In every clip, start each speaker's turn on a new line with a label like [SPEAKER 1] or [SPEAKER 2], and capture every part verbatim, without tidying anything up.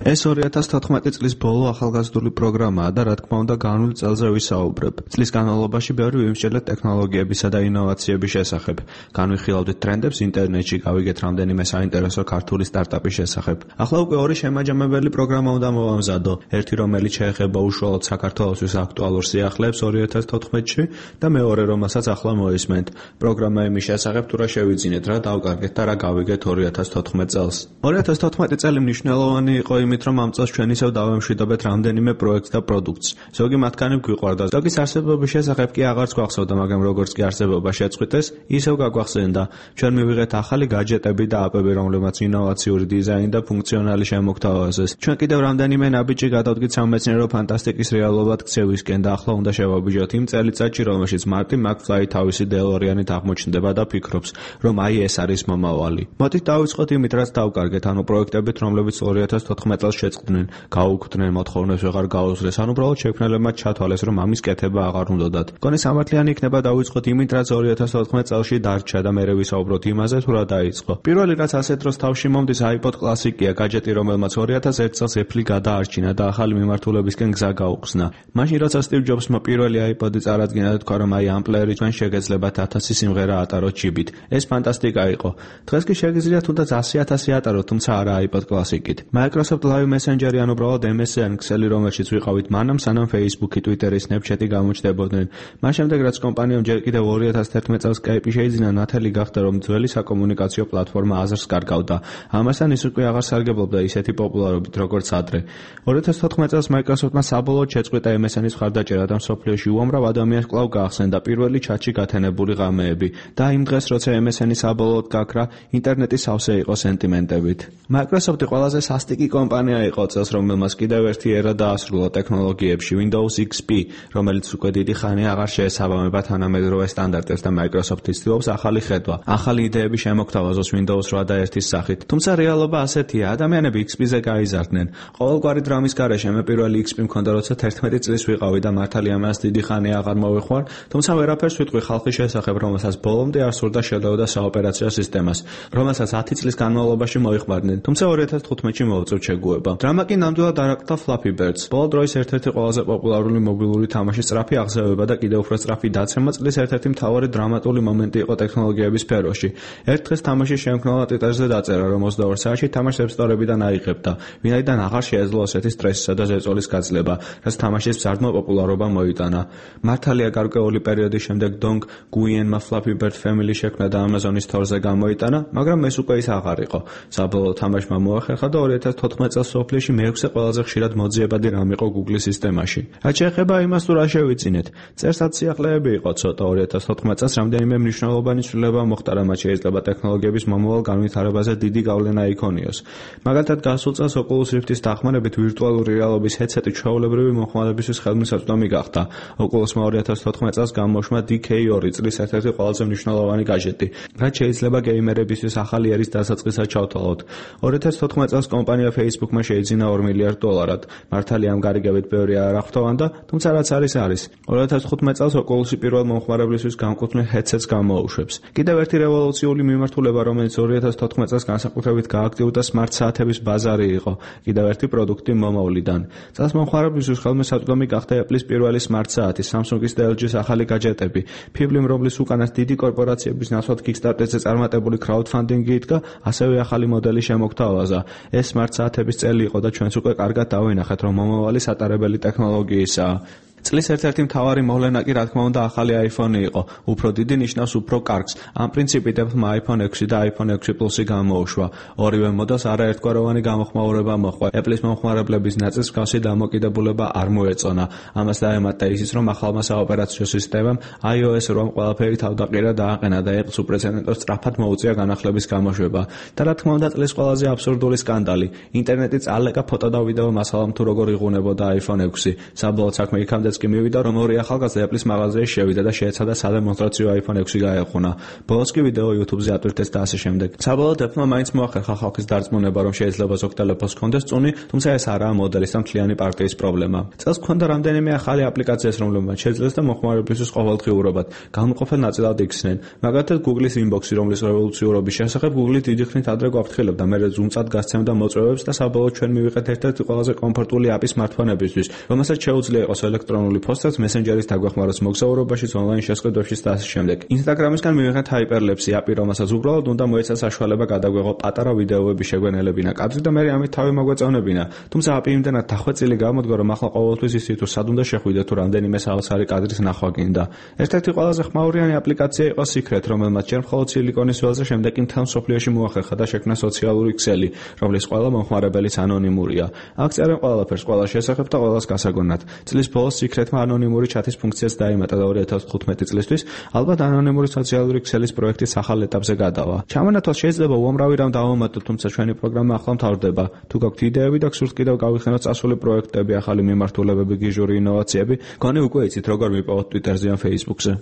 [SPEAKER 1] ეს ორი ათას თოთხმეტი წლის ბოლო ახალგაზრდული პროგრამაა და რა თქმა უნდა განვლილ წელზე ვისაუბრებ. წლის განმავლობაში ბევრი ვიმსჯელეთ ტექნოლოგიებისა და ინოვაციების შესახებ. განვიხილავდით ტრენდებს ინტერნეტში, გავიგეთ რამდენიმე საინტერესო ქართული სტარტაპის შესახებ. ახლა უკვე ორი შემაჯამებელი პროგრამა უნდა მოვამზადო. ერთი რომელიც შეეხება უშუალოდ საქართველოსთვის აქტუალურ სიახლეებს ორი ათას თოთხმეტში და მეორე რომელსაც ახლა მოისმენთ. პროგრამა იმის შესახებ თუ რა შევიძინეთ, რა დავკარგეთ და რა გავიგეთ ორი ათას თოთხმეტ წელს. ორი ათას თოთხმეტი წელი მნიშვნელოვანი იყო იმით, რომ ამ წელს ჩვენ ისევ დავემშვიდობეთ რამდენიმე პროექტს და პროდუქტს. ზოგი მათგანი გვიყვარდა, ზოგის არსებობის შესახებ კი აღარც გვახსოვდა, მაგრამ როგორც კი არსებობა შეწყვიტეს, ისევ გაგვახსენდა. ჩვენ მივიღეთ ახალი გაჯეტები და აპები, რომლებმაც ინოვაციური დიზაინი და ფუნქციონალი შემოგთავაზეს. ჩვენ კიდევ რამდენიმე ნაბიჯი გადავდგით სამეცნიერო ფანტასტიკის რეალობად ქცევისკენ და ახლა უნდა შევაბიჯოთ იმ წელიწადში, რომელშიც მარტი მაკფლაი თავისი დელორიანით აღმოჩნდება და ფიქრობს, რომ აი ეს არის მომავალი. მოდით დავიწყოთ იმით, რაც დავკარგეთ, ანუ პროექტებით, რომლებიც ორი ათას თოთხმეტ წელს შეწყდნენ, გაუქმდნენ, მოთხოვნებს ვეღარ გაუსწრეს, ან უბრალოდ შექმნელებმა ჩათვალეს, რომ ამის კეთება აღარ უნდათ. მგონი სამართლიანი იქნება დავიწყოთ იმით, რაც ორი ათას თოთხმეტ წელში დარჩა და მერე ვისაუბროთ იმაზე, თუ რა დაიწყო. პირველი რაც ასეთ დროს თავში მომდის iPod კლასიკია, გაჯეტი, რომელმაც ორი ათას ერთი წელს Apple გადაარჩინა და ახალი მიმართულებისკენ გზა გაუხსნა. მაშინ როცა Steve Jobs-მა პირველი iPod-ი წარადგინა და თქვა, რომ აი ამ პლეერი ჩვენ შეგეძლებათ ათასი სიმღერა ატაროთ ჩიბით. ეს ფანტასტიკა იყო. დღეს კი შეგიძლიათ თუნდაც ასი ათასი ატაროთ, თუმცა არა iPod კლასიკით. Microsoft Live Messenger ან უბრალოდ em es en ქსელი, რომელშიც ვიყავით მანამ, სანამ Facebook-ი, Twitter-ი, Snapchat-ი გამოჩნდებოდნენ. მას შემდეგ რაც კომპანიამ ჯერ კიდევ ორი ათას თერთმეტ წელს Skype-ი შეიძინა, ნათელი გახდა, რომ ძველი საკომუნიკაციო პლატფორმა აზრს კარგავდა. ამასთან ის უკვე აღარ სარგებლობდა ისეთი პოპულარობით, როგორც ადრე. ორი ათას თოთხმეტ წელს Microsoft-მა საბოლოოდ შეწყვიტა em es en-ის მხარდაჭერა და მსოფლიოში უამრავ ადამიანს კვლავ გაახსენდა პირველი ჩატში გათენებული ღამეები და იმ დღეს, როცა em es en-ი საბოლოოდ გაქრა, ინტერნეტი სავსე იყო სენტიმენტებით. Microsoft-ი ყველაზე სასტიკი კომპანია იყო წელს, რომელმაც კიდევ ერთი ერა დაასრულა ტექნოლოგიებში, Windows X P, რომელიც უკვე დიდი ხანი აღარ შეესაბამება თანამედროვე სტანდარტებს და Microsoft-ი ცდილობს ახალი ხედვა, ახალი იდეები შემოგთავაზოს Windows რვა და ერთის სახით. თუმცა რეალობა ასეთია, ადამიანები X P-ზე გაიზარდნენ. ყოველგვარი დრამის გარეშე მე პირველი X P მქონდა, როცა თერთმეტი წლის ვიყავი და მართალია მას დიდი ხანი აღარ მოვიხوار, თუმცა ვერაფერს ვიტყვი ხალხის შესახებ, რომელსაც ბოლომდე არ სურდა შედეოდა საოპერაციო სისტემას, რომელსაც ათი წლის განმავლობაში მოიხმარდნენ. თუმცა ორი ათას თხუთმეტში მოვწევთ შეგუება. დრამა კი ნამდვილად არაკტა Flappy Birds. ბოლო დროის ერთ-ერთი ყველაზე პოპულარული მობილური თამაშის სწრაფი აღზევება და კიდევ უფრო სწრაფი დაცემა წლის ერთ-ერთი მთავარი დრამატული მომენტი იყო ტექნოლოგიების სფეროში. ერთ დღეს თამაშის შემქმნელმა Twitter-ზე დაწერა, რომ ოცდაორ საათში თამაშს App Store-ებიდან აიღებდა, ვინაიდან აღარ შეეძლო ასეთი სტრესისა და ზეწოლის გაძლება, რაც თამაშის მზარდმა პოპულარობა მოიტანა. მართალია გარკვეული პერიოდის შემდეგ Dong Nguyenმა Flappy Bird Family შექმნა და Amazon-ის თორზე გამოიტანა, მაგრამ ეს უკვე ის აღარ იყო. საბოლოოდ თამაშმა მოახერხა და ორი ათას თოთხმეტ წელს სოფლიოში მეექვსე ყველაზე ხშირად მოძიებადი რამ იყო Google-ის სისტემაში. რაც შეეხება იმას, თუ რა შევიწინეთ, წერსად სიახლეები იყო ცოტა. ორი ათას თოთხმეტ წელს რამდენიმე მნიშვნელოვანი ცვლილება მოხდა, რამაც შეიძლება ტექნოლოგიების მომავალ განვითარებაზე დიდი გავლენა იქონიოს. მაგალითად, გასულ წელს Oculus Rift-ის დახმარებით ვირტუალური რეალობის headset-ი ჩვეულებრივი მომხმარებისთვის ხელმისაწვდომი გახდა. Oculus-მა ორი ათას თოთხმეტ წელს გამოუშვა D K ორი, წლის ერთ-ერთი ყველაზე მნიშვნელოვანი გაჯეტი, რაც შეიძლება გეიმერებისთვის ახალი ერის დასაწყისად ჩავთვალოთ. ორი ათას თოთხმეტ წელს კომპანია Facebook-მა შეიძინა ორ მილიარდ დოლარად. მართალია ამ გარიგებით ბევრი არ აღთოვანდა, თუმცა რაც არის არის. ორი ათას თხუთმეტ წელს Oculus-ი პირველ მომხმარებლისთვის განკუთვნილ headset-ს გამოუშვებს. კიდევ ერთი რევოლუციური მიმართულება, რომელიც ორი ათას თოთხმეტ წელს განსაკუთრებით გააქტიურდა smart საათების ბაზარი იყო, კიდევ ერთი პროდუქტი მომავლიდან. წელს მომხმარებლისთვის ხელმისაწვდომი გახდა Apple-ის პირველი smart საათი, Samsung-ის და L G-ის ახალი გაჯეტები. Phiblim, რომლის უკანას დიდი კორპორაციების ნაცვლად Kickstarter-ზე წარმატებული crowdfunding-ი იდგა, ასევე ახალი მოდელი შემოგთავაზა. ეს smart საათების წელი იყო და ჩვენც უკვე კარგად დავინახეთ, რომ მომავალი სატარებელი ტექნოლოგიისაა. წლის ერთ-ერთი მთავარი მოვლენა კი რა თქმა უნდა ახალი iPhone-ი იყო. უფრო დიდი ნიშნავს უფრო კარგს. ამ პრინციპით Apple-მა iPhone ექვსი და iPhone ექვსი Plus-ი გამოუშვა. ორივე მოდელს არაერთგვაროვანი გამოხმაურება მოჰყვა. Apple-ის მომხმარებლების ნაწილს მსგავსი დამოკიდებულება არ მოეწონა. ამას დაემატა ისიც, რომ ახალმა საოპერაციო სისტემამ iOS რვამ ყველაფერი თავდაყირა დააყენა და Apple-ს უპრეცედენტო სწრაფად მოუწია განახლების გამოშვება. და რა თქმა უნდა წლის ყველაზე აბსურდული სკანდალი. ინტერნეტი წალეკა ფოტო და ვიდეო მასალამ თუ როგორ იღუნებოდა iPhone ექვსი. საბოლოოდ საქმე იქამდე სადაც კი მივიდა, რომ ორი ახალგაზრდა Apple-ის მაღაზიაში შევიდა და შეეცადა სადემონსტრაციო iPhone ექვსი გაეღვნა. ბოლოს კი ვიდეო YouTube-ზე ატვირთეს და ასე შემდეგ. საბოლოოდ Apple-მა მაინც მოახერხა ხალხის დარწმუნება, რომ შეიძლება ზოგ ტელეფონს ჰქონდეს წუნი, თუმცა ეს არაა მოდელის და მთლიანი პარტიის პრობლემა. წელს ჰქონდა რამდენიმე ახალი აპლიკაციას, რომლებმაც შეძლეს და მოხმარებლისთვის ყოველდღიურობად განმყოფელ ნაწილად იქცნენ. მაგალითად, Google-ის Inbox-ი, რომლის რევოლუციურობის შესახებ Google-ი დიდი ხნით ადრე გვაფრთხილებდა, მერე ზუმწად გასცემდა მოწვევებს და საბოლოოდ ჩვენ მივიღეთ ერთ-ერთი ყველაზე კომფორტული აპი smartphone-ებისთვის, რომელსაც შეუძლია იყოს ელექტრონული პოსტაც, მესენჯერის დაგვეხმაროს მოგზაურობაშიც, ონლაინ შესყიდვებშიც და ასე შემდეგ. Instagram-ისგან მივიღეთ Hyperlapse აპი, რომელსაც უბრალოდ უნდა მოეცა საშუალება გადაგვეღო პატარა ვიდეოები შეგვენელებინა კადრი და მერე ამით თავი მოგვეწევნებინა. თუმცა აპი იმდენად დახვეწილი გამოდგა, რომ ახლა ყოველთვის იცით თუ სად უნდა შეხვიდე თუ რამდენიმე საოცარი კადრის ნახვა გინდა. ერთ-ერთი ყველაზე ხმაურიანი აპლიკაცია იყო Secret, რომელმაც ჯერ მხოლოდ სილიკონის ველზე, შემდეგ კი მთელ მსოფლიოში მოახერხა და შექმნა სოციალური ქსელი, რომლის ყველა მომხმარებელიც ანონიმურია. აქ წერენ ყველაფერს, ყველა შესახებ და ყველას გასაგონად. წლის ბოლოს Secret-მა ანონიმური ჩათის ფუნქციაც დაემატა და ორი ათას თხუთმეტი წლისთვის ალბათ ანონიმური სოციალური ქსელის პროექტის ახალ ეტაპზე გადავა. ჩამონათვალ შეიძლება უამრავი რამ დავამატოთ, თუმცა ჩვენი პროგრამა ახლა მთავრდება. თუ გაქვთ იდეები და გსურთ კიდევ გავიხსენოთ წასული პროექტები, ახალი მიმართულებები, გიჟური ინოვაციები, გონი უკვე იცით როგორ მიპოვოთ Twitter-ზე ან Facebook-ზე.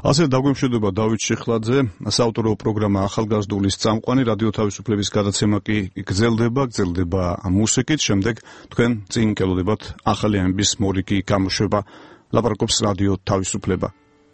[SPEAKER 2] ასე დაგვემშვიდობა დავით შიხლაძე, საავტორო პროგრამა ახალგაზრდულის წამყვანი, რადიო თავისუფლების გადაცემა კი გრძელდება, გრძელდება მუსიკით, შემდეგ თქვენ წინ გელოდებათ ახალი ამბის მორიგი გამოშვება. ლაპარაკობს რადიო თავისუფლება.